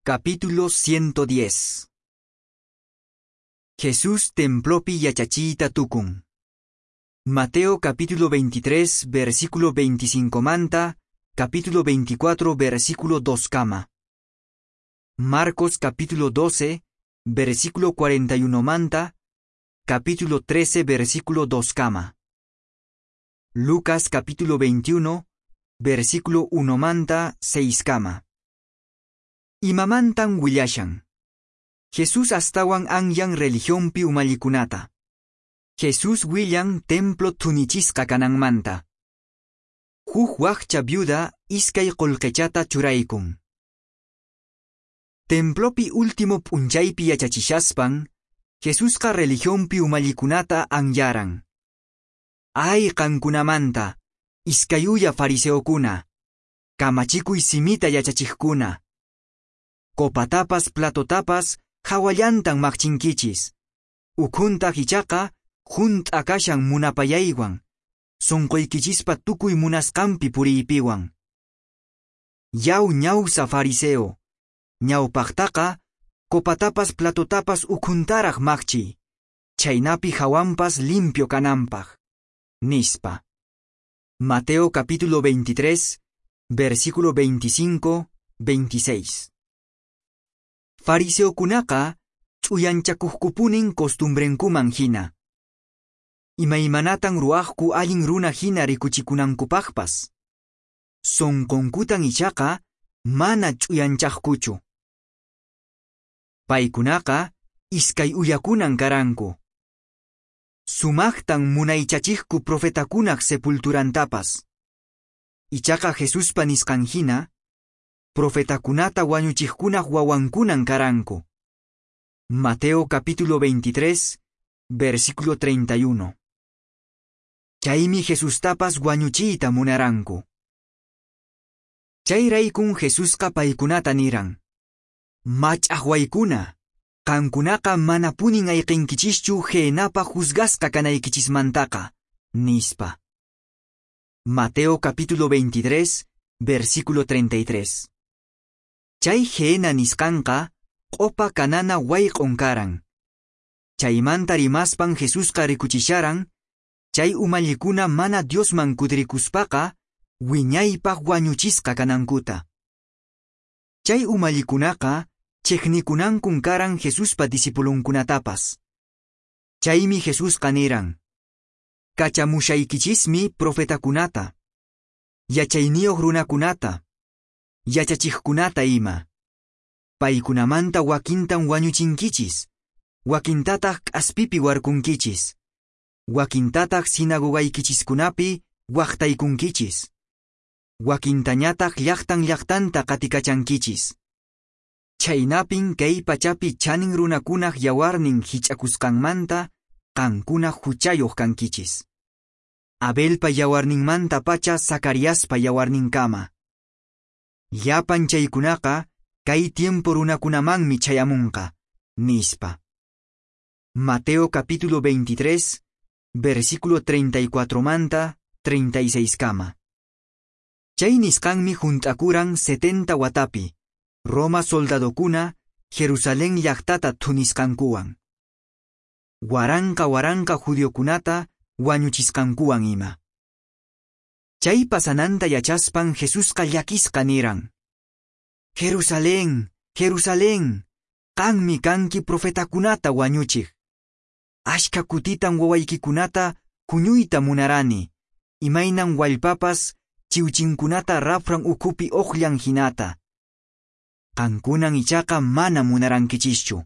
Capítulo 110. Jesús templopi yachachiyta tukun. Mateo capítulo 23, versículo 25 manta, capítulo 24, versículo 2 kama. Marcos capítulo 12, versículo 41 manta, capítulo 13, versículo 2 kama. Lucas capítulo 21, versículo 1 manta, 6 kama. Imamantan willashan. Jesús astawan anyan religionpi umallikunata. Jesús willan templo thunichisqa kananmanta. Huk wakcha viuda iskay qullqichata churaykun. Templopi último p'unchaypi yachachishaspan, Jesusqa religionpi umallikunata anyaran. Ay qankunamanta, iskay uya fariseokuna, kamachikuy simita yachachiqkuna. Copatapas platotapas hawallantan maqchinkichis. Ukhuntaq ichaqa hunt'a kashan munapayaywan, sunquykichispa tukuy munasqanpi puriypiwan. Yaw ñawsa fariseo, ñawpaqtaqa copatapas platotapas ukhuntaraq maqchiy, chhaynapi hawanpas limpio kananpaq, nispa. Mateo capítulo 23, versículo 25, 26. Fariseokunaqa ch'uyanchakuqkupunin costumbrenkuman hina. Imaymanatan ruwaqku allin runa hina rikuchikunankupaqpas. Sunqunkutan ichaqa mana ch'uyanchaqkuchu. Paykunaqa iskay uyakunan karanku. Sumaqtan munaychachiqku profetakunaq sepulturantapas. Ichaqa Jesuspa nisqan hina, profetakunata wañuchiqkunaq wawankunan karanku. Mateo capítulo 23, versículo 31. Chaymi Jesustapas wañuchiyta munaranku. Chayraykun Jesusqa paykunata niran. Mach'aqwaykuna, qankunaqa manapunin ayqinkichischu Gehenapa juzgasqa kanaykichismantaqa, nispa. Mateo capítulo 23, versículo 33. Chay Gehena nisqanqa q'upa kanana wayq'un karan. Chaymanta rimaspan Jesusqa rikuchisharan, chay umallikuna mana Diosman kutirikuspaqa wiñaypaq wañuchisqa kanankuta. Chay umallikunaqa chiqnikunankun karan Jesuspa discipulunkunatapas. Chaymi Jesusqa niran: Kachamushaykichismi profetakunata, yachayniyuq runakunata, yachachiqkunata ima. Paykunamanta wakintan wañuchinkichis, wakintataq k'aspipi warkunkichis, wakintataq sinagogaykichiskunapi waqtaykunkichis, wakintañataq llaqtan llaqtanta qatikachankichis. Chhaynapin kay pachapi chanin runakunaq yawarnin hich'akusqanmanta qankuna huchayuq kankichis. Abelpa yawarninmanta pacha Zacariaspa yawarninkama. Llapan chaykunaqa kay tiempo runakunamanmi chayamunqa, nispa. Mateo capítulo 23, versículo 34 manta 36 kama. Chay nisqanmi hunt'akuran 70 watapi, Roma soldadokuna Jerusalén llaqtata thunisqankuwan. Waranqa waranqa judiokunata wañuchisqankuwan ima. Chay pasananta yachaspan Jesusqa llakisqa niran: Jerusalén, Jerusalén, qanmi kanki profetakunata wañuchiq. Ashka kutitan wawaykikunata huñuyta munarani, imaynan wallpapas chiwchinkunata raphran ukhupi uqllan hinata. Qankunan ichaqa mana munarankichischu.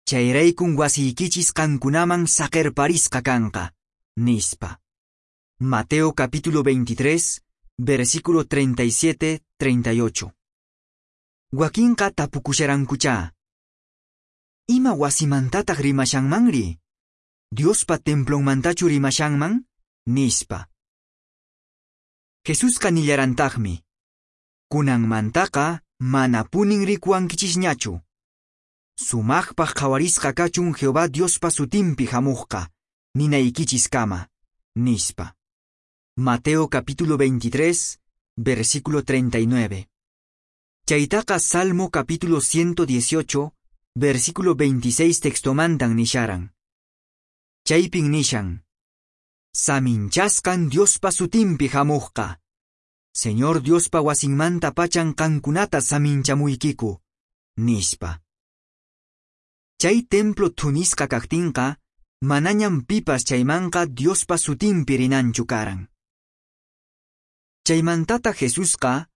Chayraykun wasiykichis qankunaman saqirparisqa kanqa, nispa. Mateo capítulo 23, versículo 37, 38. Wakinqa tapukusharankuchá. Ima wasimantataq rimashanmanri? Diospa templonmantachu rimashanman? Nispa. Jesusqa nillarantaqmi: Kunanmantaqa manapunin rikuwankichisñachu. Sumaqpaq qhawarisqa kachun Jehová Diospa sutinpi hamuqqa, ninaykichiskama, nispa. Mateo capítulo 23, versículo 39. Chaytaqa Salmo capítulo 118, versículo 26 textomantan nisharan. Chaypin nishan: Saminchasqan Diospa sutinpi hamuqqa. Señor Diospa wasinmanta pachan qankunata saminchamuykiku, nispa. Chay templo thunisqa kaqtinqa, manañam pipas chaymanqa Diospa sutinpi rinanchu karan. Chaymantata Jesusqa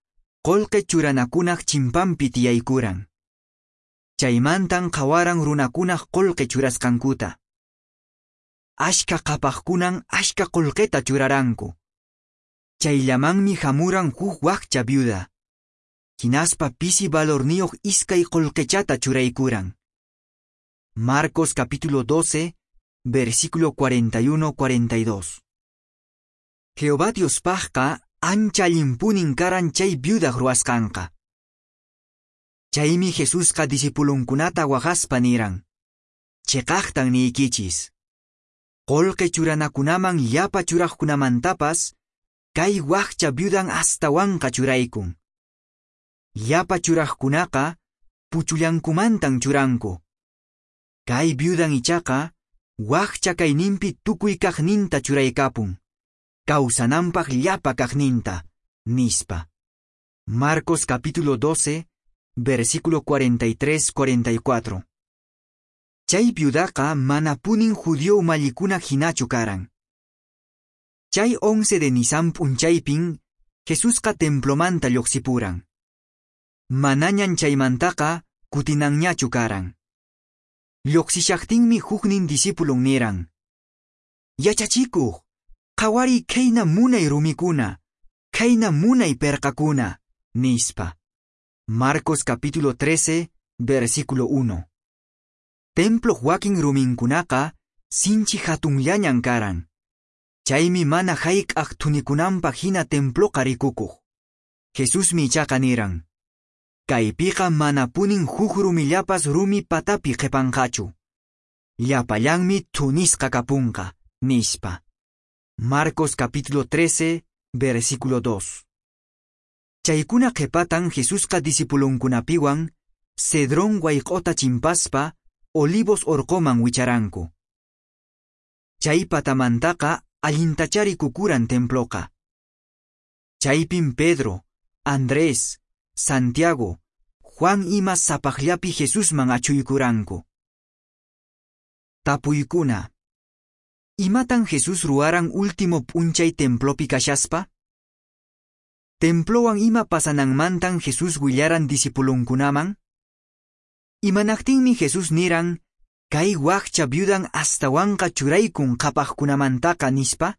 qolqe churanakunaq chimpanpi tiyaykuran. Chaymantan qhawaran runakunaq qolqe churasqankuta. Ashka qhapaqkunan ashka qolqeta churaranku. Chayllamanmi hamuran huk wakcha viuda. Hinaspa pisi valorniyuq iskay qolqechata churaykuran. Marcos capítulo 12, versículo 41-42. Jehová Diospaqqa ancha allinpunin karan chay viudaq ruwasqanqa. Chaymi Jesusqa discipulunkunata waqaspa niran: Cheqaqtan niykichis. Qolqe churanakunaman llapa churaqkunamantapas, kay wakcha viudan astawanqa churaykun. Llapa churaqkunaqa puchullankumantan churanku. Kay viudan ichaqa wakcha kayninpi tukuy kaqninta churaykapun. Kawsananpaq llapa kaqninta, nispa. Marcos capítulo 12, versículo 43-44. Chay viudaqa manapunin judío umallikuna hinachu karan. Chay 11 de Nisan p'unchaypin Jesusqa templomanta lluqsipuran. Manañan chaymantaqa kutinanñachu karan. Lluqsishaqtinmi huknin discipulon niran: Yachachikuq, qhawariy khayna munay rumikuna, khayna munay perqakuna, nispa. Marcos capítulo 13, versículo 1. Temploq wakin ruminkunaqa sinchi hatunllañan karan. Chaymi mana hayk'aq thunikunanpaq hina temploqa rikukuq. Jesusmi ichaqa niran: Kaypiqa manapunin huk rumillapas rumi patapi qhipanqachu. Llapallanmi thunisqa kapunqa, nispa. Marcos capítulo 13, versículo 2. Chaykuna qhipatan Jesusqa discipulunkunapiwan Cedrón wayq'ota chimpaspa Olivos orqoman wicharanku. Chay patamantaqa allintachá rikukuran temploqa. Chaypin Pedro, Andrés, Santiago, Juan ima sapaqllapi Jesusman achuykuranku. Tapuykuna. Imatan Jesús ruwaran último p'unchay templopi kashaspa? Templowan ima pasananmantan Jesús willaran discipulunkunaman? Imanaqtinmi Jesús niran, kay wakcha viudan astawanqa churaykun qhapaqkunamantaqa nispa?